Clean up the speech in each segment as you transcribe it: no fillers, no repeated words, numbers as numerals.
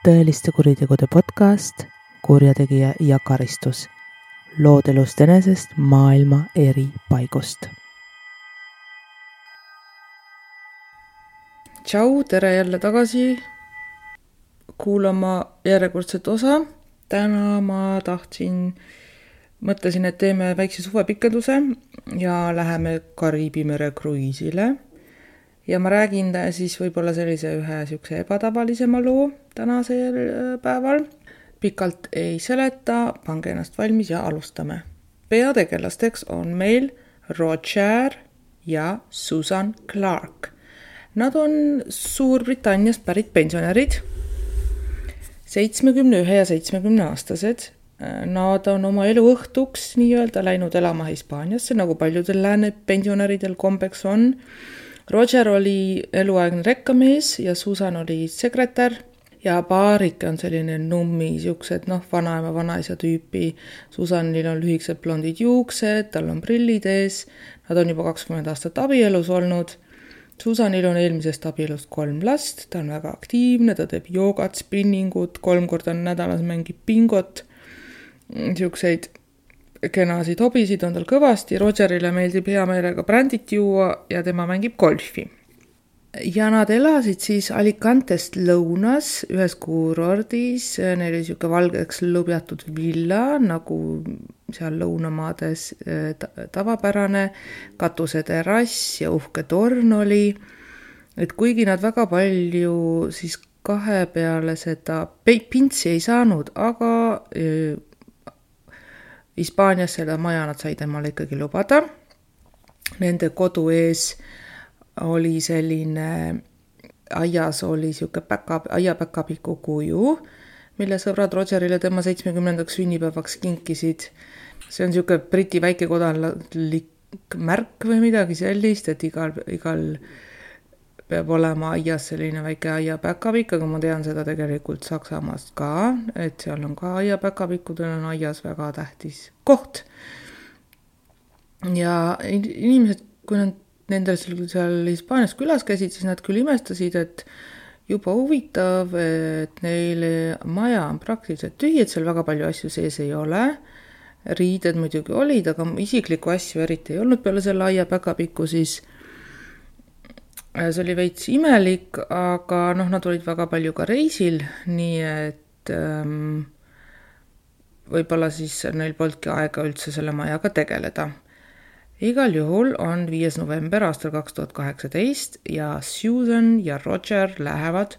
tõeliste kuritegude podcast Kurjategija ja karistus. Lood elust enesest maailma eri paigust. Tšau, tere jälle tagasi kuulama järjekordset osa. Täna ma mõtlesin, et teeme väikse suvepikenduse ja läheme Kariibi mere kruiisile. Ja ma räägin siis võib-olla sellise ühe sihukese ebatavalisema loo tänasel päeval. Pikalt ei seleta, pange ennast valmis ja alustame. Peategelasteks on meil Roger ja Susan Clark. Nad on Suurbritanniast pärit pensionärid, 71 ja 70 aastased. Nad on oma elu õhtuks nii-öelda läinud elama Hispaaniasse, nagu paljudel lääne pensionäridel kombeks on. Roger oli eluaegne rekkamees ja Susan oli sekretär ja paarike on selline nummi, siuksed vanaema, vanaisa tüüpi. Susanil on lühikesed blondid juuksed, tal on prillid ees, nad on juba 20 aastat abielus olnud. Susanil on eelmisest abielust 3 last, ta on väga aktiivne, ta teeb joogat, spinningut, 3 korda nädalas mängib bingot, siukseid kenasid hobisid on tal kõvasti. Rogerile meeldib hea meelega brändit juua ja tema mängib golfi. Ja nad elasid siis Alicantest lõunas ühes kuurordis. Neil oli siuke valgeks lõbjatud villa, nagu seal lõunamaades tavapärane, katuseterass ja uhke torn oli. Et kuigi nad väga palju siis kahe peale seda pintsi ei saanud, aga Hispaanias selle maja nad said emale ikkagi lubada. Nende kodu ees oli selline, aias oli siuke aiapäkapiku kuju, mille sõbrad Rogerile tema 70. sünnipäevaks kinkisid. See on siuke briti väikekodanlik märk või midagi sellist, et igal peab olema aias selline väike aiapäkapik, aga ma tean seda tegelikult Saksamaast ka, et seal on ka aiapäkapikkudel on aias väga tähtis koht. Ja inimesed, kui nad nendel seal Hispaanias külas käisid, siis nad küll imestasid, et juba huvitav, et neile maja on praktiliselt tühi, et seal väga palju asju sees ei ole. Riided muidugi olid, aga isiklikku asju eriti ei olnud peale selle aiapäkapikku siis. See oli veits imelik, aga nad olid väga palju ka reisil, nii et võib-olla siis neil polnudki aega üldse selle majaga tegeleda. Igal juhul on 5. november aastal 2018 ja Susan ja Roger lähevad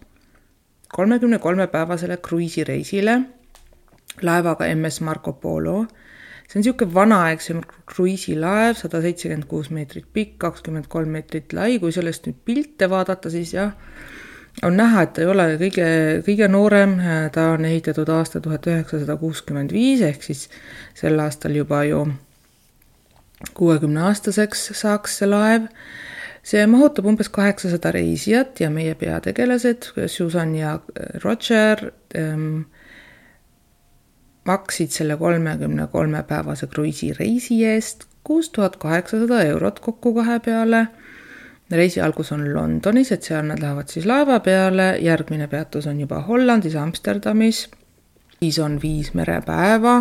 33-päevasele kruiisireisile laevaga MS Marco Polo. See on siuke vanaaegsem kruiisilaev, 176 meetrit pikk, 23 meetrit lai. Kui sellest nüüd pilte vaadata, siis on näha, et ta ei ole kõige noorem. Ta on ehitatud aasta 1965, ehk siis sel aastal juba ju 60-aastaseks saaks see laev. See mahutab umbes 800 reisijat ja meie peategelased, Susan ja Roger, maksid selle 33-päevase kruiisireisi eest 6800 eurot kokku kahe peale. Reisi algus on Londonis, et seal nad lähevad siis laeva peale. Järgmine peatus on juba Hollandis, Amsterdamis. Siis on 5 merepäeva.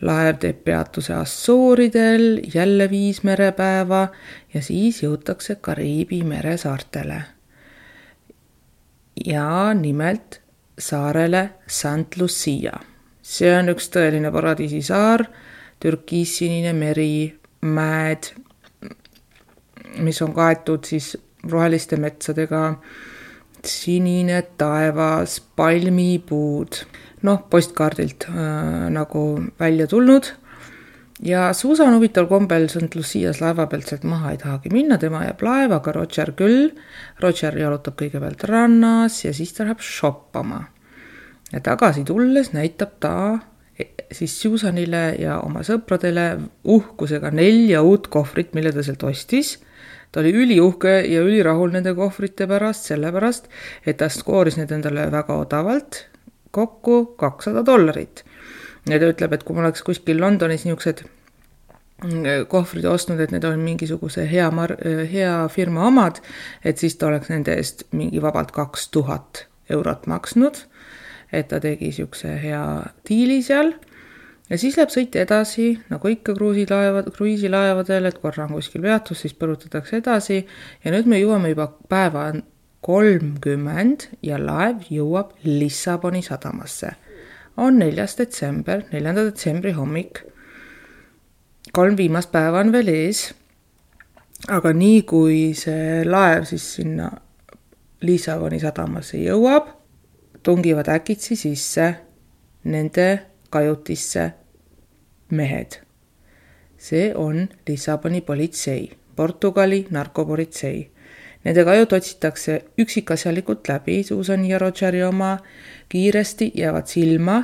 Laev teeb peatuse Assooridel, jälle 5 merepäeva ja siis jõutakse Kariibi mere saartele. Ja nimelt saarele St. Lucia. See on üks tõeline paradiisisaar, türkiissinine meri, mäed, mis on kaetud siis roheliste metsadega, sinine taevas, palmipuud, postkaardilt nagu välja tulnud. Ja Susan huvitaval kombel St. Lucias laeva pealt sealt maha ei tahagi minna, tema jääb laevaga, Roger küll. Roger jalutab kõigepealt rannas ja siis ta läheb shoppama. Ja tagasi tulles näitab ta siis Susanile ja oma sõpradele uhkusega 4 uut kohvrit, mille ta sealt ostis. Ta oli üliuhke ja ülirahul nende kohvrite pärast, sellepärast, et ta skooris need endale väga odavalt, kokku $200. Ja ta ütleb, et kui ma oleks kuskil Londonis niisugused kohvrid ostnud, et need on mingisuguse hea firma omad, et siis ta oleks nende eest mingi vabalt 2000 eurot maksnud. et ta tegi siukse hea diili seal. Ja siis läheb sõit edasi, nagu ikka kruiisilaevadel, et korra on kuskil peatus, siis põrutatakse edasi. Ja nüüd me jõuame juba päeva 30 ja laev jõuab Lissaboni sadamasse. On 4. detsembri hommik. 3 viimast päeva on veel ees. Aga nii kui see laev siis sinna Lissaboni sadamasse jõuab, tungivad äkitsi sisse nende kajutisse mehed. See on Lissaboni politsei, Portugali narkopolitsei. Nende kajut otsitakse üksikasjalikult läbi, Susan ja Rogeri oma kiiresti jäävad silma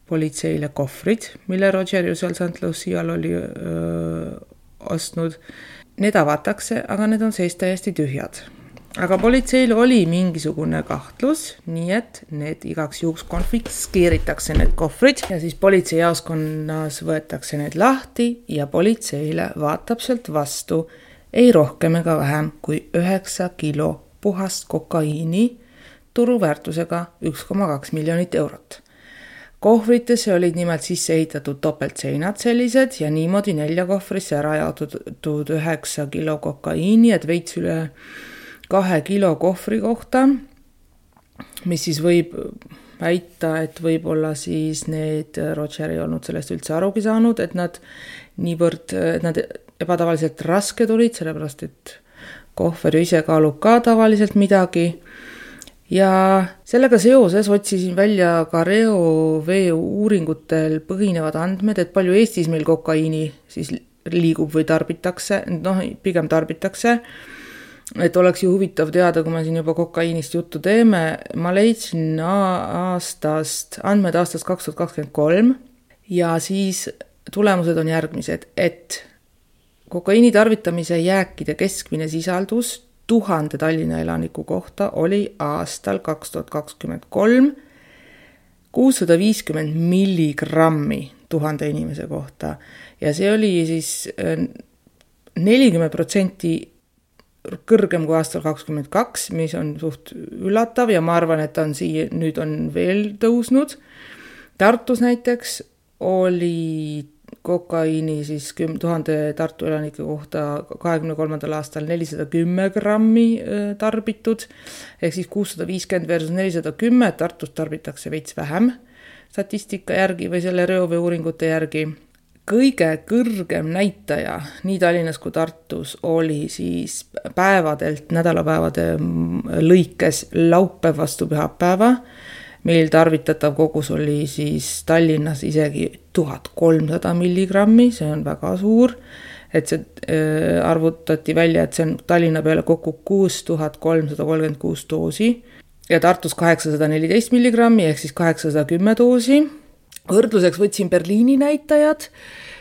politseile kohvrid, mille Roger ju seal St. Lucial oli ostnud. Need avatakse, aga need on sees täiesti tühjad. Aga politseil oli mingisugune kahtlus, nii et need igaks juhuks konfiskeeritakse need kohvrid ja siis politseijaoskonnas võetakse need lahti ja politseile vaatab sealt vastu ei rohkem ega vähem kui 9 kilo puhast kokaiini turuväärtusega 1,2 miljonit eurot. Kohvritesse olid nimelt sisse ehitatud topeltseinad sellised ja niimoodi 4 kohvrisse ära jaotatud 9 kilo kokaiini, et veits üle 2 kilo kohvri kohta, mis siis võib väita, et võib-olla siis need Roger ei olnud sellest üldse arugi saanud, et nad niivõrd nad ebatavaliselt raske tulid, sellepärast et kohver ise kaalub ka tavaliselt midagi. Ja sellega seoses otsisin välja ka reovee uuringutel põhinevad andmed, et palju Eestis meil kokaiini siis liigub või tarbitakse, pigem tarbitakse. Et oleks ju huvitav teada, kui me siin juba kokaiinist juttu teeme. Ma leidsin andmed aastast 2023 ja siis tulemused on järgmised, et kokaiini tarvitamise jääkide keskmine sisaldus 1000 Tallinna elaniku kohta oli aastal 2023 650 milligrammi 1000 inimese kohta ja see oli siis 40% kõrgem kui aastal 2022, mis on suht üllatav ja ma arvan, et nüüd on veel tõusnud. Tartus näiteks oli kokaiini siis 1000 Tartu elanike kohta 23. aastal 410 grammi tarbitud, ehk siis 650 versus 410, Tartus tarbitakse veits vähem statistika järgi või selle reovee uuringute järgi. Kõige kõrgem näitaja nii Tallinnas kui Tartus oli siis päevadelt, nädalapäevade lõikes laupäev vastu pühapäeva. Meil tarvitatav kogus oli siis Tallinnas isegi 1300 milligrammi, see on väga suur. Et see arvutati välja, et see on Tallinna peale kokku 6336 doosi ja Tartus 814 milligrammi ehk siis 810 doosi. Võrdluseks võtsin Berliini näitajad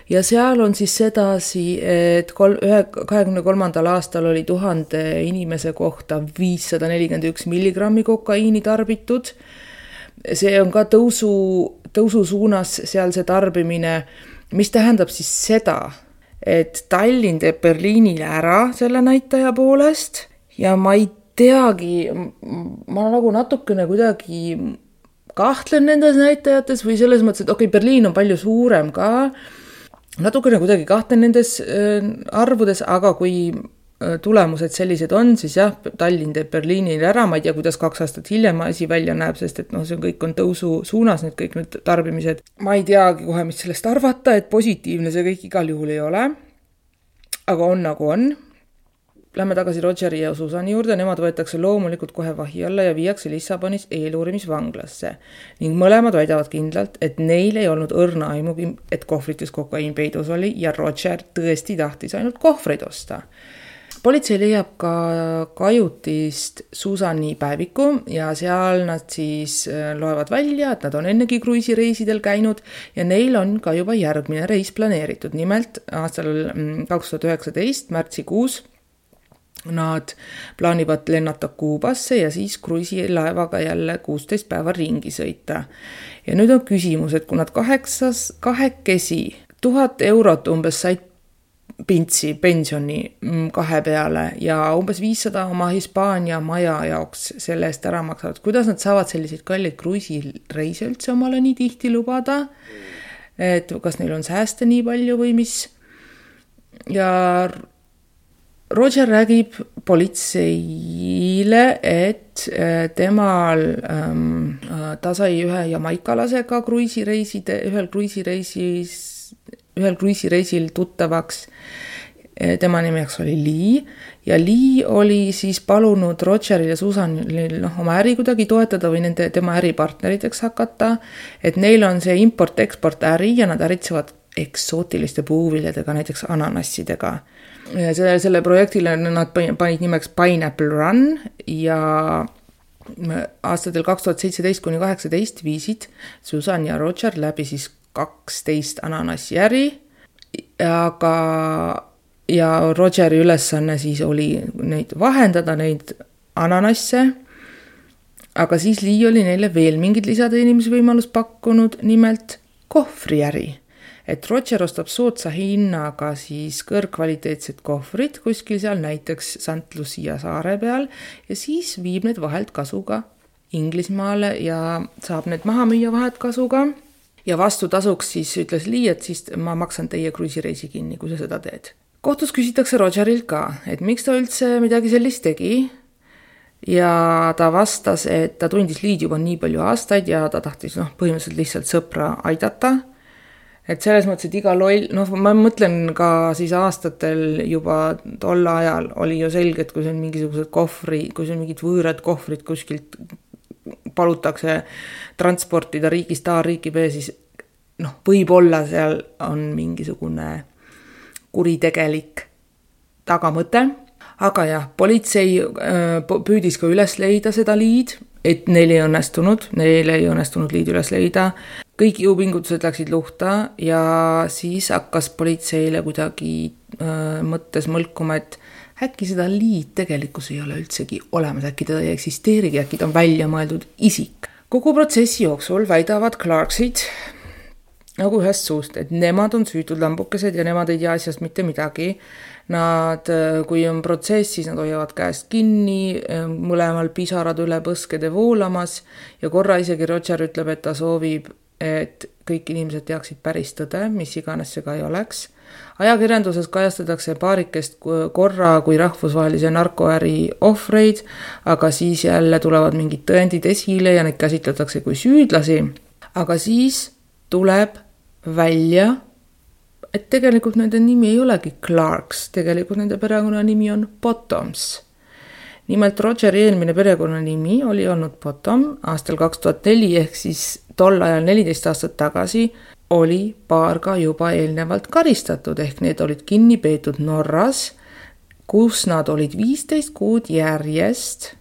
ja seal on siis sedasi, et 23. aastal oli 1000 inimese kohta 541 milligrammi kokaiini tarbitud. See on ka tõusu suunas seal see tarbimine, mis tähendab siis seda, et Tallinn teeb Berliinile ära selle näitaja poolest ja ma ei teagi, ma nagu natukene kuidagi kahtlen nendes näitajates või selles mõttes, et Berliin on palju suurem ka, natukene kuidagi kahtlen nendes arvudes, aga kui tulemused sellised on, siis jah, Tallinn teeb Berliinile ära, ma ei tea, kuidas 2 aastat hiljem asi välja näeb, sest et see kõik on tõusu suunas, kõik need tarbimised. Ma ei teagi kohe, mis sellest arvata, et positiivne see kõik igal juhul ei ole, aga on nagu on. Lähme tagasi Rogeri ja Susani juurde, nemad võetakse loomulikult kohe vahi alla ja viiakse Lissabonis eeluurimisvanglasse. Ning mõlemad väidavad kindlalt, et neil ei olnud õrna aimugi, et kohvrites kokaiin peidus oli ja Roger tõesti tahtis ainult kohvreid osta. Politsei leiab ka kajutist Susani päeviku ja seal nad siis loevad välja, et nad on ennegi kruiisireisidel käinud ja neil on ka juba järgmine reis planeeritud. Nimelt aastal 2019 märtsikuus nad plaanivad lennata Kuubasse ja siis kruiisilaevaga jälle 16 päeva ringi sõita. Ja nüüd on küsimus, et kui nad kahekesi 1000 eurot umbes said pintsi pensioni 2 peale ja umbes 500 oma Hispaania maja jaoks selle eest ära maksavad. Kuidas nad saavad selliseid kalleid kruiisireise üldse omale nii tihti lubada? Et kas neil on sääste nii palju või mis? Ja Roger räägib politseile, et ta sai ühe jamaikalasega ühel kruiisireisil tuttavaks. Tema nimeks oli Lee ja Lee oli siis palunud Rogeril ja Susanil oma äri kuidagi toetada või tema äripartneriteks hakata, et neil on see import-export äri ja nad äritsevad eksootiliste puuviljadega, näiteks ananassidega. Selle projektile nad panid nimeks Pineapple Run ja aastatel 2017–2018 viisid Susan ja Roger läbi siis 12 ananassi äri, ja Rogeri ülesanne siis oli neid vahendada, neid ananasse, aga siis Lee oli neile veel mingid lisateenimisvõimalus pakkunud, nimelt kohvriäri. Et Roger ostab soodsa hinnaga siis kõrgkvaliteetsed kohvrid kuskil seal näiteks St. Lucia saare peal ja siis viib need vahelt kasuga Inglismaale ja saab need maha müüa vahetkasuga. Ja vastu tasuks siis ütles Lee, et siis ma maksan teie kruisireisi kinni, kui sa seda teed. Kohtus küsitakse Rogerilt ka, et miks ta üldse midagi sellist tegi. Ja ta vastas, et ta tundis Leed juba nii palju aastaid ja ta tahtis põhimõtteliselt lihtsalt sõpra aidata. Et selles mõttes, et iga loll, ma mõtlen ka siis aastatel juba tol ajal oli ju selge, et kui see on mingisugused kui see on mingid võõrad kohvrid kuskilt palutakse transportida riigist A riiki B, siis võib-olla seal on mingisugune kuritegelik tagamõte. Aga jah, politsei püüdis ka üles leida seda Leed, et neil ei õnnestunud Leed üles leida. Kõik jõupingutused läksid luhta ja siis hakkas politseile kuidagi mõttes mõlkuma, et äkki seda Leed tegelikkus ei ole üldsegi olemas, äkki teda ei eksisteerigi, äkki ta on välja mõeldud isik. Kogu protsessi jooksul väidavad Clarksid nagu ühest suust, et nemad on süütud lambukesed ja nemad ei tea asjast mitte midagi. Nad, kui on protsess, siis nad hoiavad käest kinni, mõlemal pisarad üle põskede voolamas ja korra isegi Roger ütleb, et ta soovib, et kõik inimesed teaksid päris tõde, mis iganes see ka ei oleks. Ajakirjanduses kajastatakse paarikest korra kui rahvusvahelise narkoäri ohvreid, aga siis jälle tulevad mingid tõendid esile ja neid käsitletakse kui süüdlasi. Aga siis tuleb välja, et tegelikult nende nimi ei olegi Clarks, tegelikult nende perekonna nimi on Bottoms. Nimelt Rogeri eelmine perekonna nimi oli olnud Bottom aastal 2004 ehk siis tol ajal 14 aastat tagasi oli paar ka juba eelnevalt karistatud ehk need olid kinni peetud Norras, kus nad olid 15 kuud järjest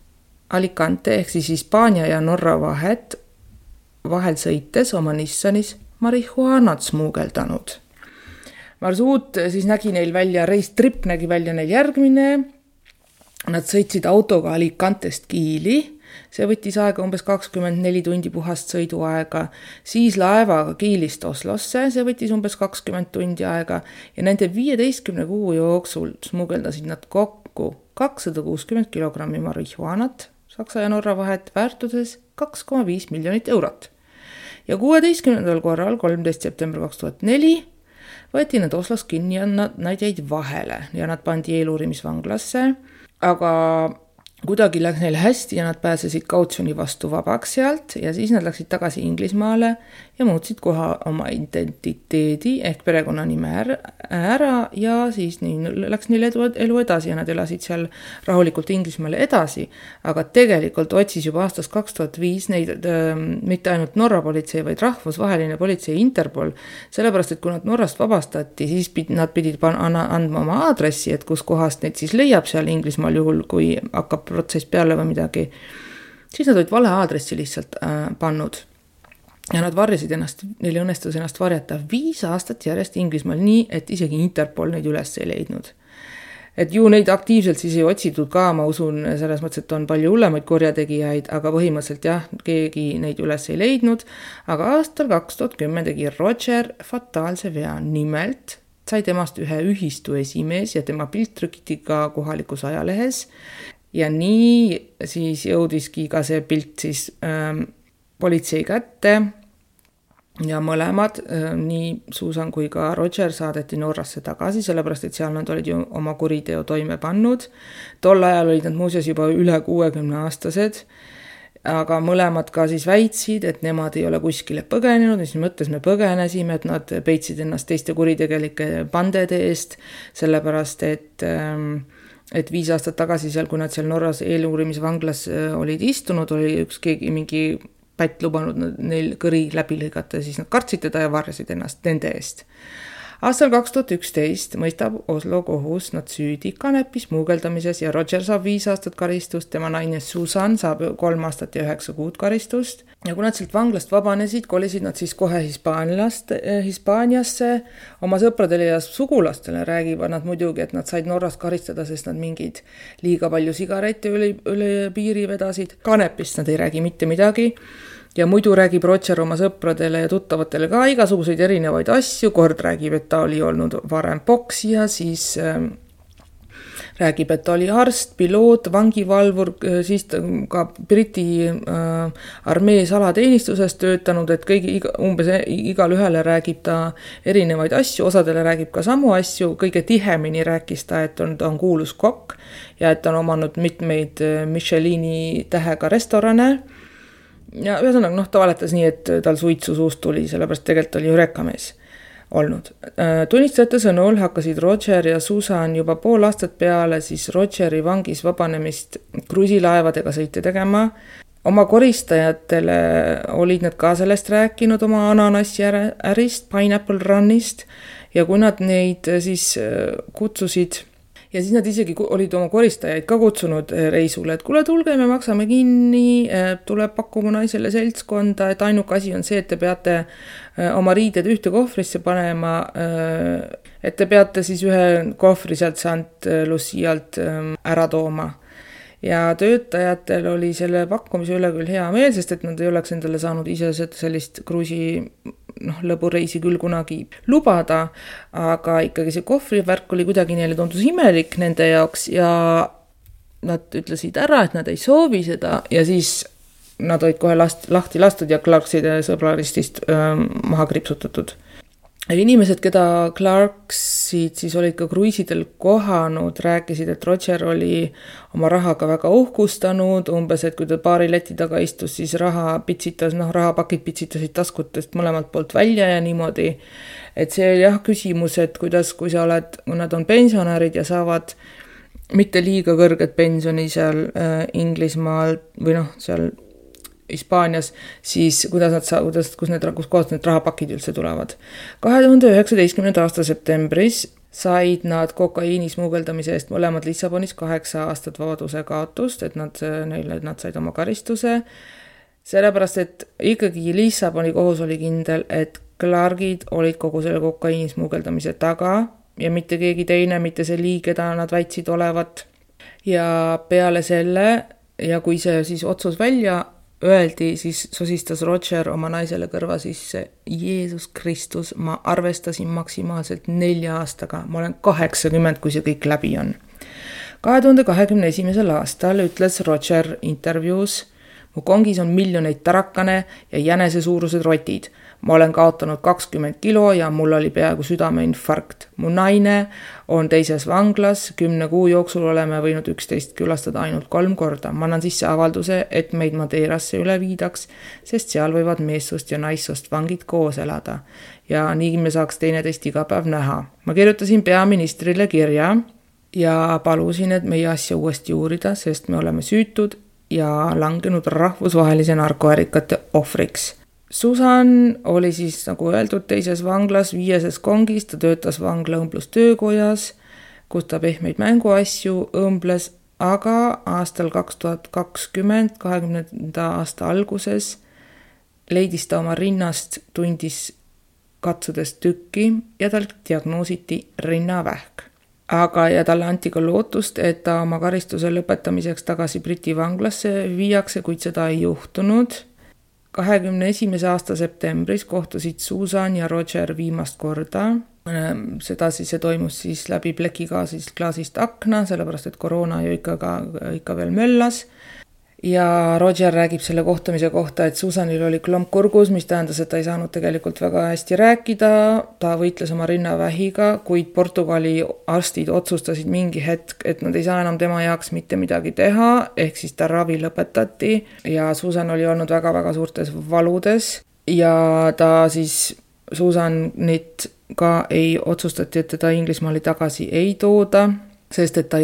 Alicante ehk siis Hispaania ja Norra vahel sõites oma Nissanis marihuanat smuugeldanud. Marsuut siis nägi neil välja, reistrip nägi välja neil järgmine. Nad sõitsid autoga Alicantest Kiili. See võttis aega umbes 24 tundi puhast sõiduaega. Siis laevaga Kiilist Oslosse, see võttis umbes 20 tundi aega. Ja nende 15 kuu jooksul smuugeldasid nad kokku 260 kilogrammi marihuanat Saksa ja Norra vahet väärtuses 2,5 miljonit eurot. Ja 16. korral, 13. september 2004, võeti nad Oslos kinni ja nad jäid vahele ja nad pandi eeluurimisvanglasse, aga kuidagi läks neil hästi ja nad pääsesid kautsjoni vastu vabaks sealt ja siis nad läksid tagasi Inglismaale ja muutsid koha oma identiteedi ehk perekonnanime ära ja siis läks neil elu edasi ja nad elasid seal rahulikult Inglismaale edasi. Aga tegelikult otsis juba aastast 2005 neid mitte ainult Norra politsei, vaid rahvusvaheline politsei Interpol, sellepärast, et kui nad Norrast vabastati, siis nad pidid andma oma aadressi, et kus kohast neid siis leiab seal Inglismaal juhul, kui hakkab protsess peale või midagi, siis nad olid vale aadressi lihtsalt pannud. Ja nad varjasid ennast, neil õnnestus ennast varjata 5 aastat järjest Inglismaal nii, et isegi Interpol neid üles ei leidnud. Et ju neid aktiivselt siis ei otsitud ka, ma usun, selles mõttes, et on palju hullemaid korjategijaid, aga põhimõtteliselt jah, keegi neid üles ei leidnud. Aga aastal 2010 tegi Roger fataalse vea, nimelt sai temast ühe ühistu esimees ja tema pilt trükiti ka kohalikus ajalehes. Ja nii siis jõudiski ka see pilt siis politsei kätte ja mõlemad, nii Susan kui ka Roger saadeti Norrasse tagasi, sellepärast et seal nad olid ju oma kuriteo toime pannud. Tol ajal olid nad muuseas juba üle 60-aastased, aga mõlemad ka siis väitsid, et nemad ei ole kuskile põgenenud, mis mõttes me põgenesime, et nad peitsid ennast teiste kuritegelike bandede eest, sellepärast et 5 aastat tagasi seal, kui nad seal Norras eeluurimisvanglas olid istunud, oli keegi mingi pätt lubanud neil kõri läbi lõigata, siis nad kartsid teda ja varjasid ennast nende eest. Aastal 2011 mõistab Oslo kohus nad süüdi kanepi smuugeldamises ja Roger saab 5 aastat karistust, tema naine Susan saab 3 aastat ja 9 kuud karistust. Ja kui nad sealt vanglast vabanesid, kolisid nad siis kohe Hispaaniasse. Oma sõpradele ja sugulastele räägivad nad muidugi, et nad said Norras karistada, sest nad mingid liiga palju sigarette üle piiri vedasid. Kanepist nad ei räägi mitte midagi. Ja muidu räägib Roger oma sõpradele ja tuttavatele ka igasuguseid erinevaid asju. Kord räägib, et ta oli olnud varem poksija, siis räägib, et ta oli arst, piloot, vangivalvur, siis ka Briti armee salateenistuses töötanud, et umbes igal ühele räägib ta erinevaid asju, osadele räägib ka samu asju, kõige tihemini rääkis ta, et ta on kuulus kokk ja et ta on omanud mitmeid Michelini tähega restorane. Ja ühesõnaga, ta valetas nii, et tal suitsu suust tuli, sellepärast tegelikult oli ju rekkamees olnud. Tunnistajate sõnul hakkasid Roger ja Susan juba pool aastat peale siis Rogeri vangis vabanemist kruiisilaevadega sõite tegema. Oma koristajatele olid nad ka sellest rääkinud oma ananassi ärist, Pineapple Runist ja kui nad neid siis kutsusid ja siis nad isegi olid oma koristajaid ka kutsunud reisule, et kuule, tulge, me maksame kinni, tuleb pakkuma naisele seltskonda, et ainuke asi on see, et te peate oma riided ühte kohvrisse panema, et te peate siis ühe kohvri sealt St. Lucialt ära tooma. Ja töötajatel oli selle pakkumise üle küll hea meel, sest et nad ei oleks endale saanud ise sellist kruisi lõbureisi küll kunagi lubada, aga ikkagi see kohvrivärk oli kuidagi neile tundus imelik nende jaoks ja nad ütlesid ära, et nad ei soovi seda ja siis nad olid kohe lahti lastud ja Clarkside sõbraristist maha kripsutatud. Inimesed, keda Clarksid siis olid ka kruiisidel kohanud, rääkisid, et Roger oli oma rahaga väga uhkustanud, umbes, et kui ta paari leti taga istus, siis rahapakid pitsitasid taskutest mõlemalt poolt välja ja niimoodi. Et see oli küsimus, et kui nad on pensionärid ja saavad mitte liiga kõrget pensioni seal Inglismaal või seal Hispaanias, siis kus need rahapakid üldse tulevad. 2019. aasta septembris said nad kokaiini smuugeldamise eest mõlemad Lissabonis 8 aastat vabaduse kaotust, et nad said oma karistuse. Sellepärast, et ikkagi Lissaboni kohus oli kindel, et Clarkid olid kogu selle kokaiini smuugeldamise taga ja mitte keegi teine, mitte see liig, keda nad väitsid olevat. Ja peale selle, ja kui see siis otsus välja öeldi, siis sosistas Roger oma naisele kõrva sisse, Jeesus Kristus, ma arvestasin maksimaalselt 4 aastaga, ma olen 80, kui see kõik läbi on. 2021. aastal ütles Roger intervjuus, mu kongis on miljoneid tarakane ja jänese suurused rotid. Ma olen kaotanud 20 kilo ja mul oli peaaegu südameinfarkt. Mu naine on teises vanglas, 10 kuu jooksul oleme võinud 11 külastada ainult 3 korda. Ma annan sisse avalduse, et meid Madeirasse üle viidaks, sest seal võivad meessust ja naissust vangid koos elada. Ja nii me saaks teineteist iga päev näha. Ma kirjutasin peaministrile kirja ja palusin, et meie asja uuesti uurida, sest me oleme süütud ja langenud rahvusvahelise narkoärikate ohvriks. Susan oli siis, nagu öeldud, teises vanglas, 5. kongis, ta töötas vangla õmblustöökojas, kus ta pehmeid mänguasju õmbles, aga aastal 2020, 20. aasta alguses leidis ta oma rinnast tundis katsudes tükki ja tal diagnoositi rinnavähk. Ja talle anti ka lootust, et ta oma karistuse lõpetamiseks tagasi Briti vanglasse viiakse, kuid seda ei juhtunud. 21. aasta septembris kohtusid Susan ja Roger viimast korda Seda siis see toimus siis läbi plekiklaasist akna, sellepärast et koroona ju ikka veel möllas. Ja Roger räägib selle kohtumise kohta, et Susanil oli klomp kurgus, mis tähendas, et ta ei saanud tegelikult väga hästi rääkida, ta võitles oma rinnavähiga, kuid Portugali arstid otsustasid mingi hetk, et nad ei saa enam tema jaoks mitte midagi teha, ehk siis ta ravi lõpetati ja Susan oli olnud väga-väga suurtes valudes ja ta siis Susanit ka ei otsustati, et teda Inglismaali tagasi ei tooda, sest et ta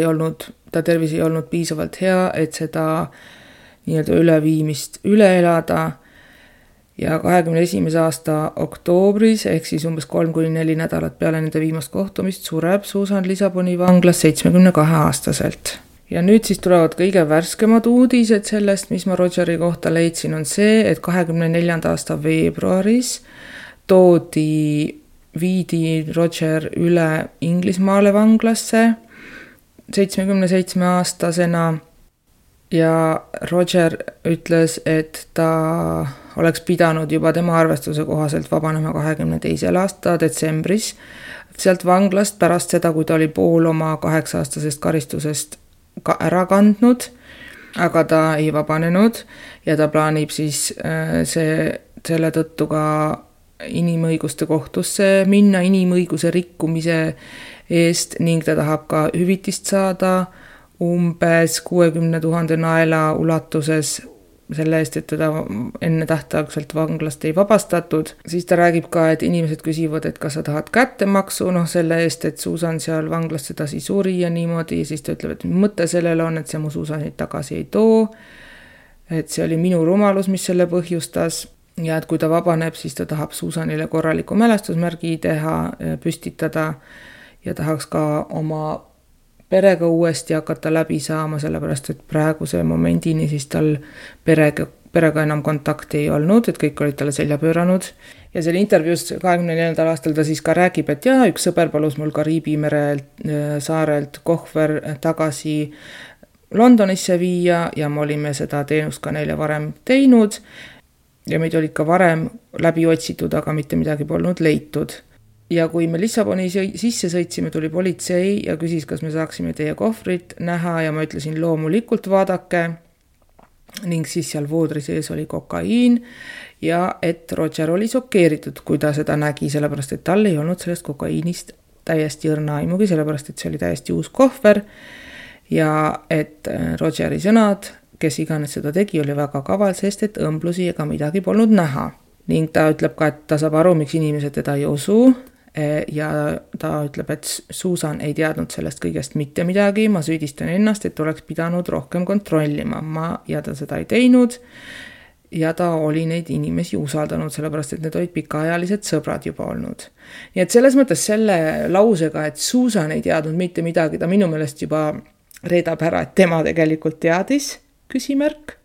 tervis ei olnud piisavalt hea, et seda nii-öelda üleviimist üle elada ja 21. aasta oktoobris ehk siis umbes 3-4 nädalat peale nende viimast kohtumist sureb Susan Lissaboni vanglas 72-aastaselt. Ja nüüd siis tulevad kõige värskemad uudised sellest, mis ma Rogeri kohta leidsin, on see, et 24. aasta veebruaris viidi Roger üle Inglismaale vanglasse 77-aastasena ja Roger ütles, et ta oleks pidanud juba tema arvestuse kohaselt vabanema 22. aasta detsembris sealt vanglast pärast seda, kui ta oli pool oma 8-aastasest karistusest ära kandnud, aga ta ei vabanenud ja ta plaanib siis selle tõttu ka inimõiguste kohtusse minna inimõiguse rikkumise eest ning ta tahab ka hüvitist saada umbes 60 000 naela ulatuses selle eest, et teda enne tähtaegselt vanglast ei vabastatud. Siis ta räägib ka, et inimesed küsivad, et kas sa tahad kättemaksu, selle eest, et Susan seal vanglas sedasi suri ja niimoodi. Ja siis ta ütleb, et mõte sellele on, et see mu Susanit tagasi ei too. Et see oli minu rumalus, mis selle põhjustas. Ja et kui ta vabaneb, siis ta tahab Susanile korraliku mälestusmärgi teha, püstitada ja tahaks ka oma perega uuesti hakata läbi saama, sellepärast et praeguse momendini siis tal perega enam kontakti ei olnud, et kõik olid talle selja pööranud. Ja selle intervjuus 24. aastal ta siis ka räägib, et üks sõber palus mul Kariibi mere saarelt kohver tagasi Londonisse viia ja me olime seda teenust ka neile varem teinud ja meid olid ka varem läbi otsitud, aga mitte midagi polnud leitud. Ja kui me Lissaboni sisse sõitsime, tuli politsei ja küsis, kas me saaksime teie kohvrit näha ja ma ütlesin loomulikult vaadake ning siis seal voodri sees oli kokaiin ja et Roger oli šokeeritud, kui ta seda nägi, sellepärast et tal ei olnud sellest kokaiinist täiesti õrna aimugi, sellepärast et see oli täiesti uus kohver ja et Rogeri sõnad, kes iganes seda tegi, oli väga kaval, sest et õmblusi ega midagi polnud näha. Ning ta ütleb ka, et ta saab aru, miks inimesed teda ei usu ja ta ütleb, et Susan ei teadnud sellest kõigest mitte midagi, ma süüdistan ennast, et oleks pidanud rohkem kontrollima, ja ta seda ei teinud ja ta oli neid inimesi usaldanud, sellepärast et need olid pikaajalised sõbrad juba olnud. Nii et selles mõttes selle lausega, et Susan ei teadnud mitte midagi, ta minu meelest juba reedab ära, et tema tegelikult teadis, küsimärk.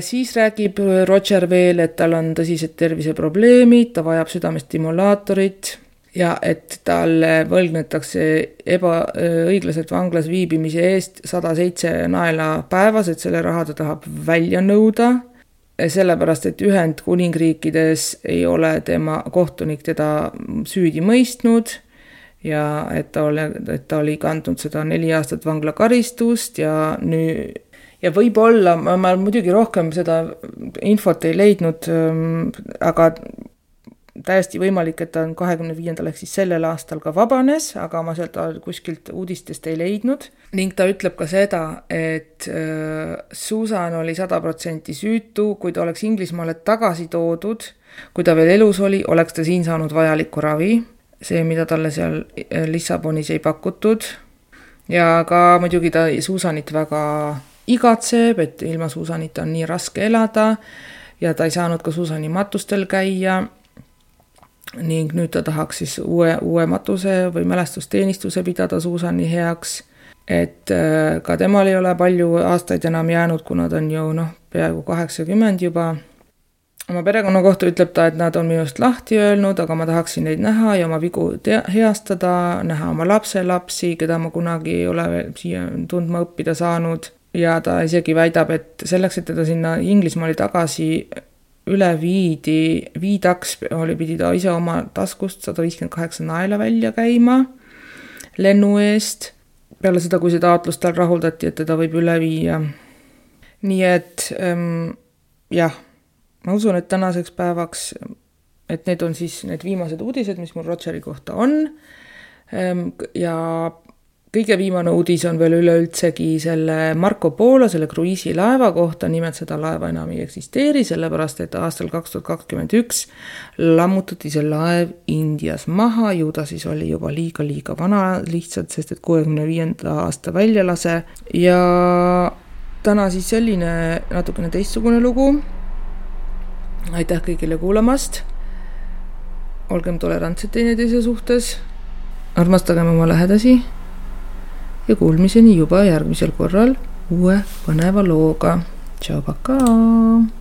Siis räägib Roger veel, et tal on tõsised terviseprobleemid, ta vajab südamestimulaatorit ja et talle võlgnetakse ebaõiglaselt vanglas viibimise eest 107 naela päevas, et selle raha ta tahab välja nõuda, sellepärast et Ühendkuningriikides ei ole tema kohtunik teda süüdi mõistnud ja et ta oli kandnud seda 4 aastat vanglakaristust ja võib-olla, ma muidugi rohkem seda infot ei leidnud, aga täiesti võimalik, et ta on 25. ehk siis sellel aastal ka vabanes, aga ma sealt kuskilt uudistest ei leidnud. Ning ta ütleb ka seda, et Susan oli 100% süütu, kui ta oleks Inglismaale tagasi toodud, kui ta veel elus oli, oleks ta siin saanud vajalikku ravi, see, mida talle seal Lissabonis ei pakutud. Ja ka muidugi ta Susanit väga igatseb, et ilma Susanita on nii raske elada ja ta ei saanud ka Susani matustel käia ning nüüd ta tahaks siis uue matuse või mälestusteenistuse pidada Susani heaks, et ka temal ei ole palju aastaid enam jäänud, kuna ta on ju peaaegu 80 juba. Oma perekonna kohta ütleb ta, et nad on minust lahti öelnud, aga ma tahaksin neid näha ja oma vigu heastada, näha oma lapselapsi, keda ma kunagi ei ole siia tundma õppida saanud. Ja ta isegi väidab, et selleks, et teda sinna Inglismaali tagasi üle viidaks, pidi ta ise oma taskust 158 naela välja käima lennu eest, peale seda, kui see taotlus tal rahuldati, et teda võib üle viia. Nii et jah, ma usun, et tänaseks päevaks, et need on siis need viimased uudised, mis mul Rogeri kohta on. Ja kõige viimane uudis on veel üleüldsegi selle Marco Polo, selle kruiisilaeva kohta, nimelt seda laeva enam ei eksisteeri, sellepärast et aastal 2021 lammutati see laev Indias maha, ju ta siis oli juba liiga vana lihtsalt, sest et 65. aasta väljalase ja täna siis selline natukene teistsugune lugu. Aitäh kõigile kuulamast. Olgem tolerantsed teineteise suhtes. Armastagem oma lähedasi ja kuulmiseni juba järgmisel korral uue põneva looga. Tšau, pakaa!